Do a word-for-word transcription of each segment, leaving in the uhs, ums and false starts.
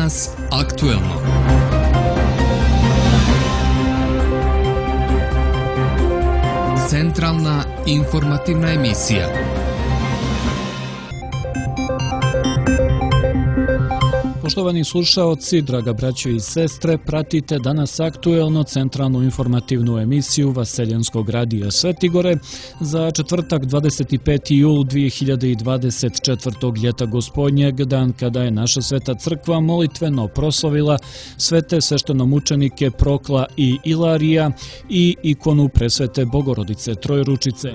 Danas aktuelno. Centralna informativna emisija. Poštovani slušaoci, draga braćo i sestre, pratite Danas aktuelno centralnu informativnu emisiju Vaseljenskog radija Svetigore za četvrtak dvadeset peti jul dvije hiljade dvadeset četvrtog ljeta gospodnjeg, dan kada je naša Sveta crkva molitveno proslavila svete sveštenomučenike Prokla i Ilarija i ikonu presvete Bogorodice Trojručice.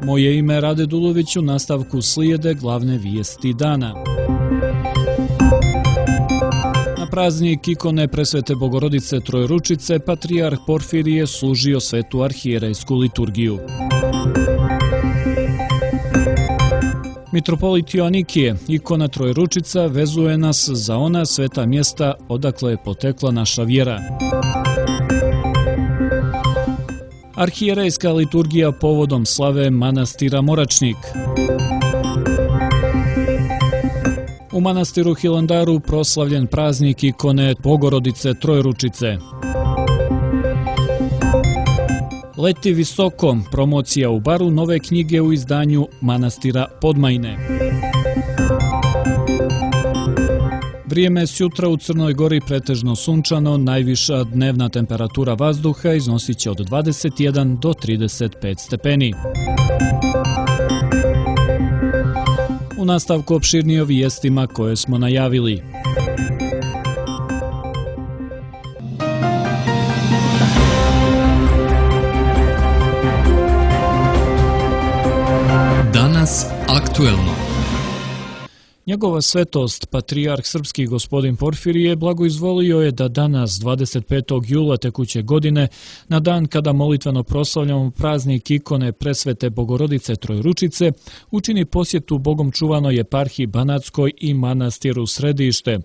Moje ime je Rade Dulović, u nastavku slijede glavne vijesti dana. Na praznik ikone presvete Bogorodice Trojručice patrijarh Porfirije služio svetu arhijerejsku liturgiju. Mitropolit Joanikije, ikona Trojručica, vezuje nas za ona sveta mjesta odakle je potekla naša vjera. Arhijerejska liturgija povodom slave manastira Moračnik. U manastiru Hilandaru proslavljen praznik ikone Bogorodice Trojručice. Leti visoko, promocija u Baru nove knjige u izdanju manastira Podmajne. Vrijeme sjutra u Crnoj Gori pretežno sunčano, najviša dnevna temperatura vazduha iznosit će od dvadeset jedan do trideset pet stepeni. U nastavku opširnije o vijestima koje smo najavili. Danas aktuelno. Njegova svetost, patrijarh srpski gospodin Porfirije, blagoizvolio je da danas, dvadeset petog jula tekuće godine, na dan kada molitveno proslavljamo praznik ikone presvete Bogorodice Trojručice, učini posjetu Bogom čuvanoj eparhiji Banatskoj i manastiru Središte.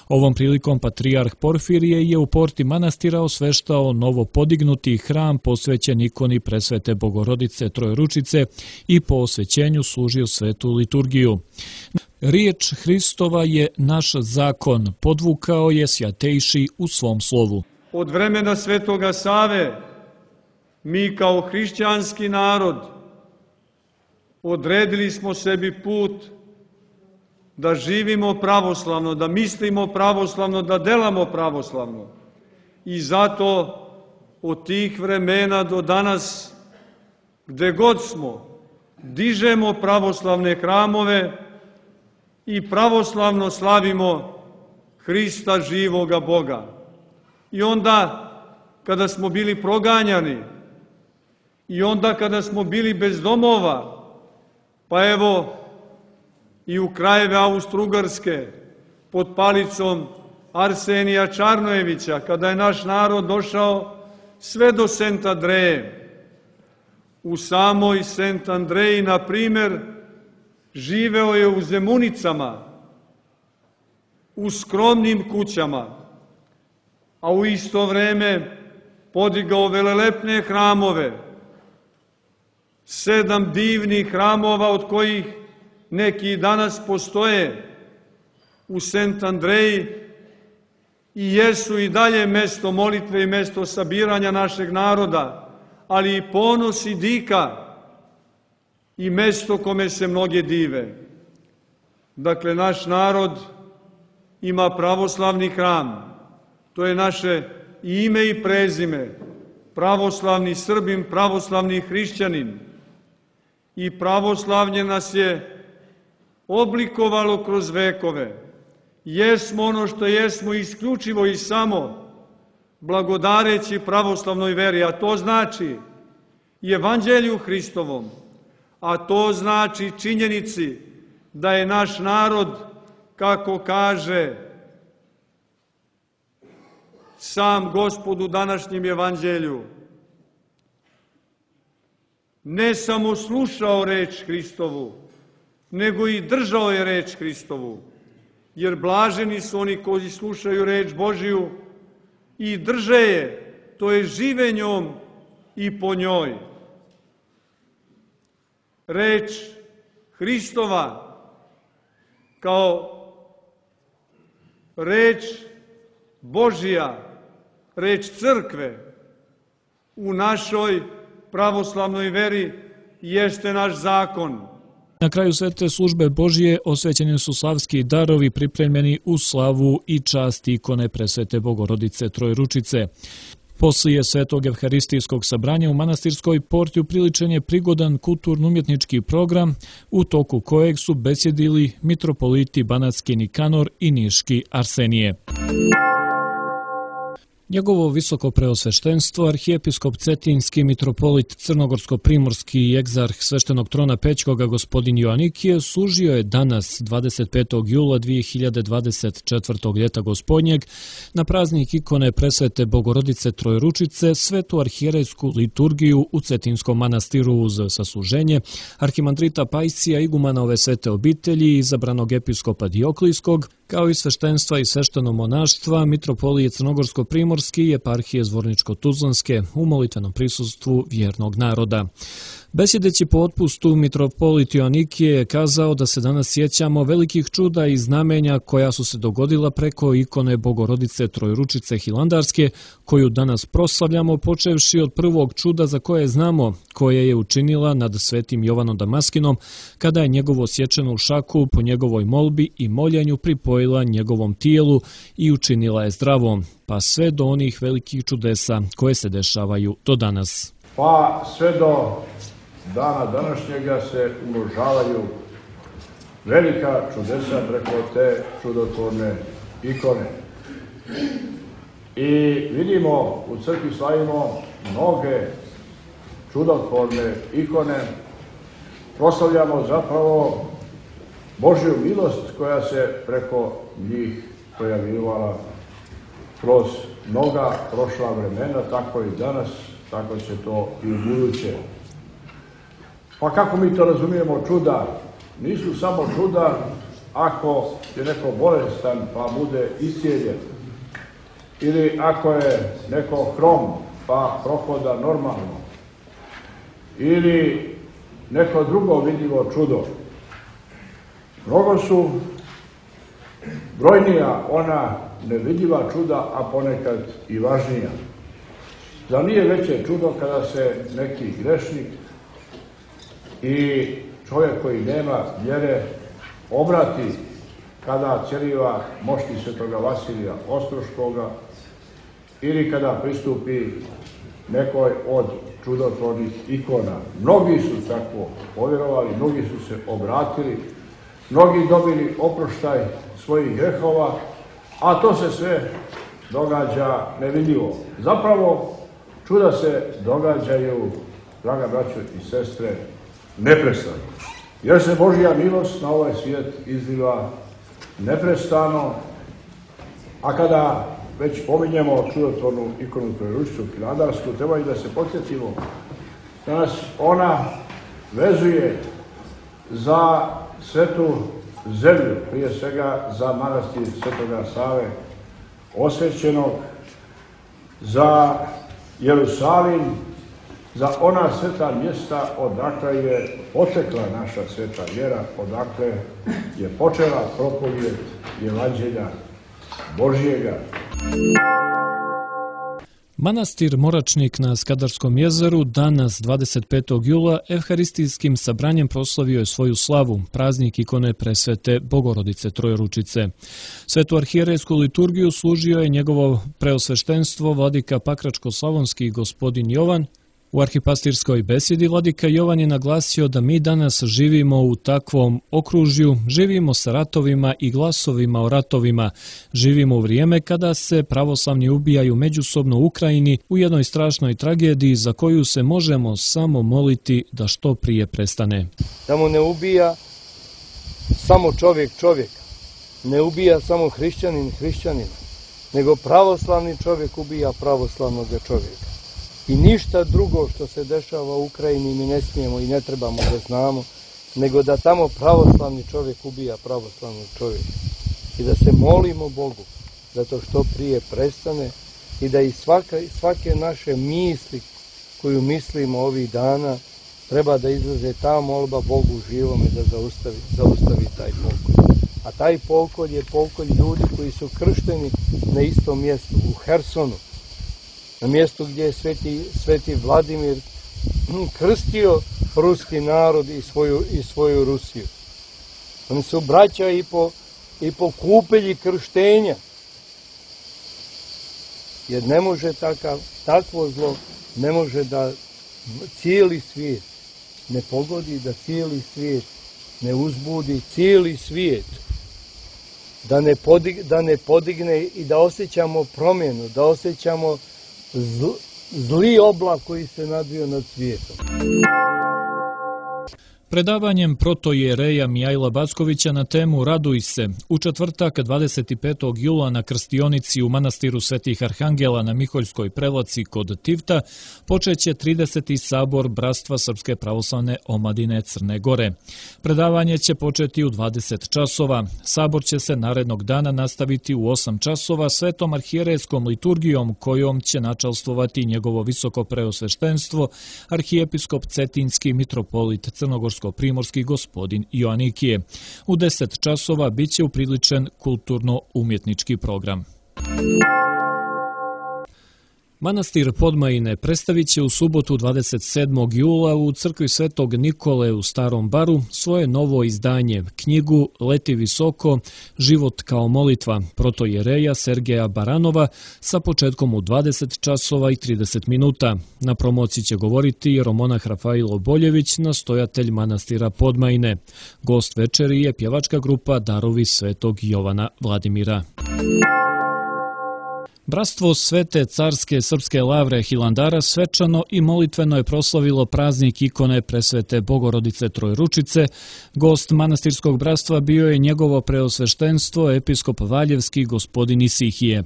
Ovom prilikom patrijarh Porfirije je u porti manastira osveštao novo podignuti hram posvećen ikoni presvete Bogorodice Trojručice i po osvećenju služio svetu liturgiju. Riječ Hristova je naš zakon, podvukao je Svjatejši u svom slovu. Od vremena Svetoga Save mi kao hrišćanski narod odredili smo sebi put da živimo pravoslavno, da mislimo pravoslavno, da delamo pravoslavno. I zato od tih vremena do danas, gde god smo, dižemo pravoslavne hramove i pravoslavno slavimo Hrista živoga Boga. I onda kada smo bili proganjani, i onda kada smo bili bez domova, pa evo i u krajeve Austro-Ugarske pod palicom Arsenija Čarnojevića, kada je naš narod došao sve do Sent Andreje. U samoj Sent Andreji, na primjer, živeo je u Zemunicama, u skromnim kućama, a u isto vreme podigao velelepne hramove, sedam divnih hramova od kojih neki danas postoje u Sent Andreji i jesu i dalje mesto molitve i mesto sabiranja našeg naroda, ali i ponos i dika i mesto kome se mnoge dive. Dakle, naš narod ima pravoslavni hram. To je naše ime i prezime. Pravoslavni Srbin, pravoslavni hrišćanin. I pravoslavlje nas je oblikovalo kroz vekove. Jesmo ono što jesmo isključivo i samo blagodareći pravoslavnoj veri, a to znači i Evanđelju Hristovom, a to znači činjenici da je naš narod, kako kaže sam Gospod u današnjem Evanđelju, ne samo slušao reč Hristovu, nego i držao je reč Hristovu. Jer blaženi su oni koji slušaju reč Božiju i drže je, to je žive njom i po njoj. Reč Hristova kao reč Božja, reč crkve u našoj pravoslavnoj veri jeste naš zakon. Na kraju svete službe Božije osvećeni su slavski darovi pripremljeni u slavu i čast ikone presvete Bogorodice Trojručice. Poslije svetog evharistijskog sabranja u manastirskoj porti upriličen je prigodan kulturno-umjetnički program u toku kojeg su besjedili mitropoliti Banatski Nikanor i Niški Arsenije. Njegovo visoko preosveštenstvo, arhijepiskop Cetinski, mitropolit Crnogorsko-primorski i egzarh sveštenog trona Pećkoga gospodin Joanikije služio je danas, dvadeset petog jula dvije hiljade dvadeset četvrtog ljeta gospodnjeg, na praznik ikone presvete Bogorodice Trojručice, svetu arhijerejsku liturgiju u Cetinskom manastiru uz sasluženje arhimandrita Pajsija, igumana ove svete obitelji, izabranog episkopa Dioklijskog, kao i sveštenstva i svešteno monaštva, mitropolije Crnogorsko-primorski i eparhije Zvorničko-Tuzlanske u molitvenom prisustvu vjernog naroda. Besjedeći po otpustu, mitropolit Joanikije je kazao da se danas sjećamo velikih čuda i znamenja koja su se dogodila preko ikone Bogorodice Trojručice Hilandarske, koju danas proslavljamo, počevši od prvog čuda za koje znamo, koje je učinila nad svetim Jovanom Damaskinom, kada je njegovo sječenu šaku po njegovoj molbi i moljenju pripojila njegovom tijelu i učinila je zdravom, pa sve do onih velikih čudesa koje se dešavaju do danas. Pa sve do dana današnjega se umnožavaju velika čudesa preko te čudotvorne ikone. I vidimo, u crkvi slavimo mnoge čudotvorne ikone, proslavljamo zapravo Božju milost koja se preko njih pojavljivala kroz mnoga prošla vremena, tako i danas, tako će to i u buduće. Pa kako mi to razumijemo čuda? Nisu samo čuda ako je neko bolestan pa bude iscijeljen, ili ako je neko hrom pa prohoda normalno, ili neko drugo vidljivo čudo. Mnogo su brojnija ona nevidljiva čuda, a ponekad i važnija. Zar nije veće čudo kada se neki grešnik i čovjek koji nema vjere obrati kada cjeliva mošti svetoga Vasilija Ostroškoga ili kada pristupi nekoj od čudotvornih ikona. Mnogi su tako povjerovali, mnogi su se obratili, mnogi dobili oproštaj svojih grehova, a to se sve događa nevidljivo. Zapravo, čuda se događaju, draga braćo i sestre, neprestano. Jer se Božja milost na ovaj svijet izliva neprestano, a kada već pominjemo čudotvornu ikonu Trojručicu Hilandarsku, treba i da se podsjetimo da nas ona vezuje za svetu zemlju, prije svega za manastir Svetoga Save osvećenog, za Jerusalim, za ona sveta mjesta odakle je potekla naša sveta vjera, odakle je počela propovijed Evanđelja Božjega. Manastir Moračnik na Skadarskom jezeru danas, dvadeset petog jula, evharistijskim sabranjem proslavio je svoju slavu, praznik ikone presvete Bogorodice Trojručice. Svetu arhijerejsku liturgiju služio je njegovo preosveštenstvo vladika Pakračko-slavonski gospodin Jovan. U arhipastirskoj besjedi vladika Jovan je naglasio da mi danas živimo u takvom okružju, živimo sa ratovima i glasovima o ratovima, živimo u vrijeme kada se pravoslavni ubijaju međusobno u Ukrajini u jednoj strašnoj tragediji za koju se možemo samo moliti da što prije prestane. Da mu ne ubija samo čovjek čovjeka, ne ubija samo hrišćanin hrišćanina, nego pravoslavni čovjek ubija pravoslavnog čovjeka. I ništa drugo što se dešava u Ukrajini mi ne smijemo i ne trebamo da znamo, nego da tamo pravoslavni čovjek ubija pravoslavnog čovjeka. I da se molimo Bogu da to što prije prestane i da i svaka, svake naše misli koju mislimo ovih dana treba da izlaze ta molba Bogu živome da zaustavi, zaustavi taj pokoj. A taj pokolj je pokolj ljudi koji su kršteni na istom mjestu, u Hersonu, na mjestu gdje je sveti, sveti Vladimir krstio ruski narod i svoju, i svoju Rusiju. Oni su braća i po, i po kupelji krštenja. Jer ne može takav, takvo zlo, ne može da cijeli svijet ne pogodi, da cijeli svijet ne uzbudi, cijeli svijet da ne, podig, da ne podigne i da osjećamo promjenu, da osjećamo zl, zli oblak koji se nadvio nad svijetom. Predavanjem protoijereja Mijajla Backovića na temu Raduj se u četvrtak dvadeset petog jula na krstionici u manastiru Svetih Arhangela na Miholjskoj prelaci kod Tivta počeće trideseti sabor Bratstva Srpske pravoslavne omladine Crne Gore. Predavanje će početi u dvadeset časova. Sabor će se narednog dana nastaviti u osam časova svetom arhijerejskom liturgijom kojom će načalstvovati njegovo visoko preosveštenstvo arhijepiskop Cetinski mitropolit Crnogorsko primorski gospodin Joanikije. U deset časova biće upriličen kulturno-umjetnički program. Manastir Podmajine predstavit će u subotu dvadeset sedmog jula u crkvi Svetog Nikole u Starom Baru svoje novo izdanje, knjigu Leti visoko, život kao molitva, protoijereja Sergeja Baranova sa početkom u dvadeset časova i trideset minuta. Na promociji će govoriti jeromonah Rafailo Boljević, nastojatelj manastira Podmajine. Gost večeri je pjevačka grupa Darovi Svetog Jovana Vladimira. Bratstvo Svete carske srpske lavre Hilandara svečano i molitveno je proslavilo praznik ikone Presvete Bogorodice Trojručice. Gost manastirskog bratstva bio je njegovo preosveštenstvo episkop Valjevski gospodin Isihije.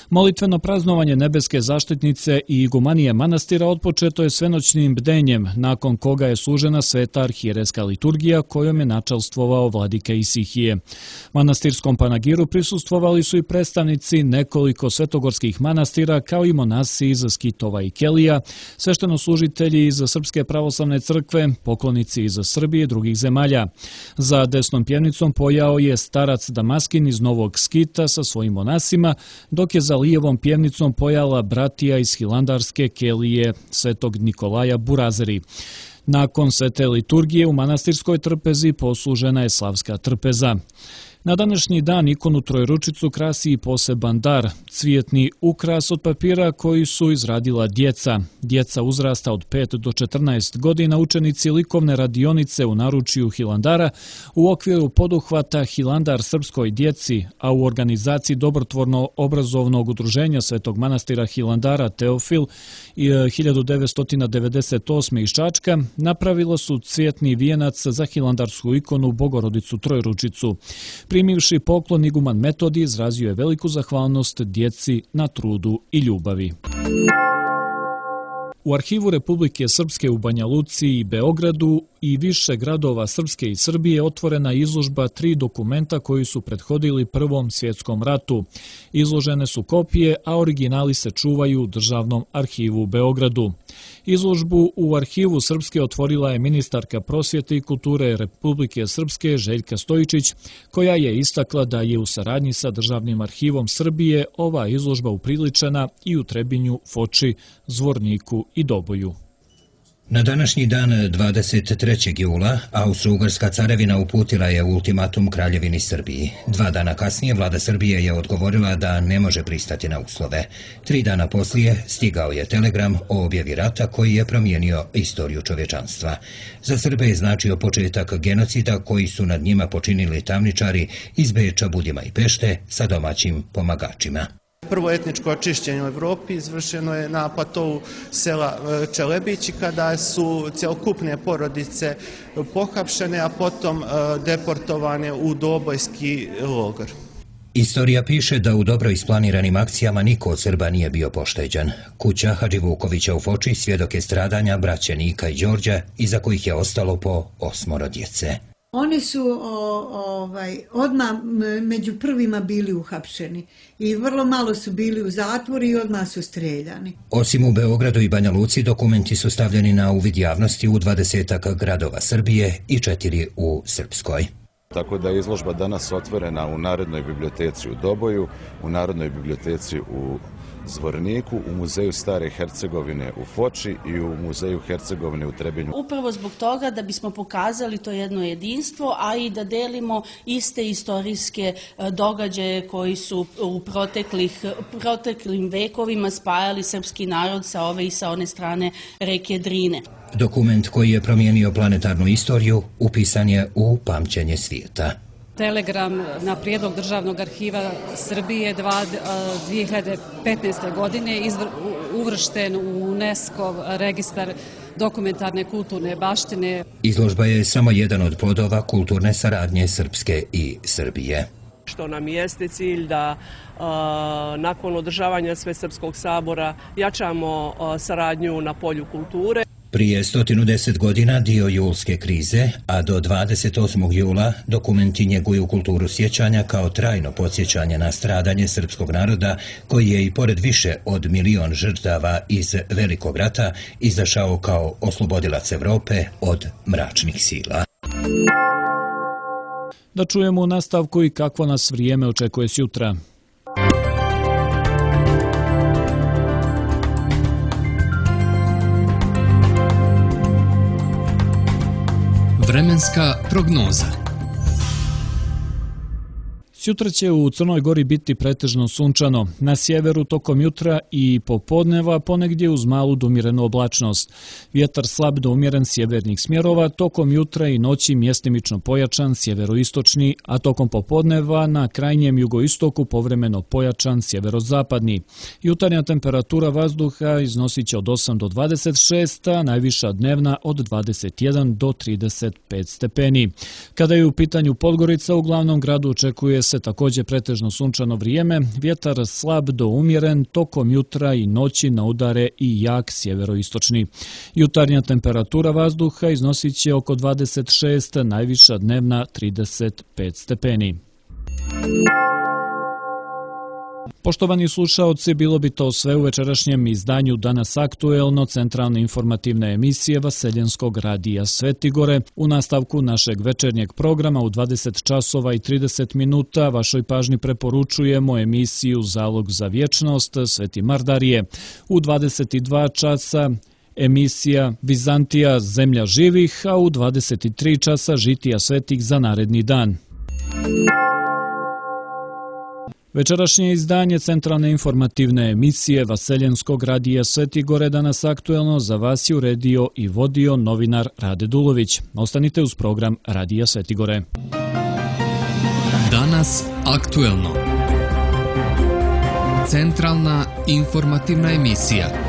Molitveno praznovanje nebeske zaštitnice i igumanije manastira otpočeto je svenoćnim bdenjem, nakon koga je služena sveta arhijerejska liturgija kojom je načalstvovao vladika Isihije. Manastirskom panagiru prisustvovali su i predstavnici nekoliko svetogorskih manastira kao i monasi iz Skitova i Kelija, sveštenoslужitelji iz Srpske pravoslavne crkve, poklonici iz Srbije i drugih zemalja. Za desnom pjevnicom pojao je starac Damaskin iz Novog Skita sa svojim monasima, dok je za lijevom pjevnicom pojala bratija iz Hilandarske Kelije Svetog Nikolaja Burazeri. Nakon svete liturgije u manastirskoj trpezi poslužena je slavska trpeza. Na današnji dan ikonu Trojručicu krasi i poseban dar, cvijetni ukras od papira koji su izradila djeca. Djeca uzrasta od pet do četrnaest godina, učenici likovne radionice u naručju Hilandara u okviru poduhvata Hilandar srpskoj djeci, a u organizaciji dobrotvorno obrazovnog udruženja Svetog manastira Hilandara Teofil hiljadu devetsto devedeset osme iz Čačka napravila su cvijetni vijenac za hilandarsku ikonu Bogorodicu Trojručicu. Primivši poklon, iguman Metodij izrazio je veliku zahvalnost djeci na trudu i ljubavi. U Arhivu Republike Srpske u Banja Luci i Beogradu i više gradova Srpske i Srbije otvorena izložba tri dokumenta koji su prethodili Prvom svjetskom ratu. Izložene su kopije, a originali se čuvaju u Državnom arhivu u Beogradu. Izložbu u Arhivu Srpske otvorila je ministarka prosvjete i kulture Republike Srpske Željka Stojičić, koja je istakla da je u saradnji sa Državnim arhivom Srbije ova izložba upriličena i u Trebinju, Foči, Zvorniku i Doboju. Na današnji dan dvadeset trećeg jula Austro-Ugarska carevina uputila je ultimatum Kraljevini Srbiji. Dva dana kasnije vlada Srbije je odgovorila da ne može pristati na uslove. Tri dana poslije stigao je telegram o objavi rata koji je promijenio istoriju čovječanstva. Za Srbe je značio početak genocida koji su nad njima počinili tamničari iz Beča, Budima i Pešte sa domaćim pomagačima. Prvo etničko očišćenje u Evropi izvršeno je na platovu sela Čelebići kada su cjelokupne porodice pohapšene, a potom deportovane u Dobojski logor. Istorija piše da u dobro isplaniranim akcijama niko od Srba nije bio pošteđen. Kuća Hadži Vukovića u Foči svjedok je stradanja braće Nika i Đorđa, iza kojih je ostalo po osmoro djece. Oni su o, ovaj, odmah među prvima bili uhapšeni i vrlo malo su bili u zatvoru i odmah su streljani. Osim u Beogradu i Banja Luci, dokumenti su stavljeni na uvid javnosti u dvadesetak gradova Srbije i četiri u Srpskoj. Tako da je izložba danas otvorena u Narodnoj biblioteci u Doboju, u Narodnoj biblioteci u Zvorniku, u Muzeju Stare Hercegovine u Foči i u Muzeju Hercegovine u Trebinju. Upravo zbog toga da bismo pokazali to jedno jedinstvo, a i da delimo iste istorijske događaje koji su u proteklih, proteklim vekovima spajali srpski narod sa ove i sa one strane reke Drine. Dokument koji je promijenio planetarnu istoriju upisan je u pamćenje svijeta. Telegram na prijedlog Državnog arhiva Srbije dvije hiljade petnaeste. godine uvršten u UNESCO registar dokumentarne kulturne baštine. Izložba je samo jedan od plodova kulturne saradnje Srpske i Srbije. Što nam jeste cilj da a, nakon održavanja Svesrpskog sabora jačamo a, saradnju na polju kulture. Prije sto deset godina dio julske krize, a do dvadeset osmog jula dokumenti njeguju kulturu sjećanja kao trajno podsjećanje na stradanje srpskog naroda koji je i pored više od milion žrtava iz Velikog rata izašao kao oslobodilac Evrope od mračnih sila. Da čujemo u nastavku i kakvo nas vrijeme očekuje sjutra. Vremenska prognoza. Sutra će u Crnoj Gori biti pretežno sunčano, na sjeveru tokom jutra i popodneva ponegdje uz malu do umjerenu oblačnost. Vjetar slab do umjeren sjevernih smjerova, tokom jutra i noći mjestimično pojačan sjeveroistočni, a tokom popodneva na krajnjem jugoistoku povremeno pojačan sjeverozapadni. Jutarnja temperatura vazduha iznosit će od osam do dvadeset šest, a najviša dnevna od dvadeset jedan do trideset pet stepeni. Kada je u pitanju Podgorica, u glavnom gradu očekuje se također pretežno sunčano vrijeme, vjetar slab do umjeren, tokom jutra i noći na udare i jak sjeveroistočni. Jutarnja temperatura vazduha iznosit će oko dvadeset šest, najviša dnevna trideset pet stepeni. Poštovani slušaoci, bilo bi to sve u večerašnjem izdanju Danas aktuelno, centralne informativne emisije Vaseljenskog radija Svetigore. U nastavku našeg večernjeg programa u dvadeset časova i trideset minuta vašoj pažnji preporučujemo emisiju Zalog za vječnost Sveti Mardarije. U dvadeset dva časa emisija Vizantija zemlja živih, a u dvadeset tri časa žitija svetih za naredni dan. Večerašnje izdanje centralne informativne emisije Vaseljenskog radija Svetigore Danas aktuelno za vas je uredio i vodio novinar Rade Dulović. Ostanite uz program Radija Svetigore. Danas aktuelno. Centralna informativna emisija.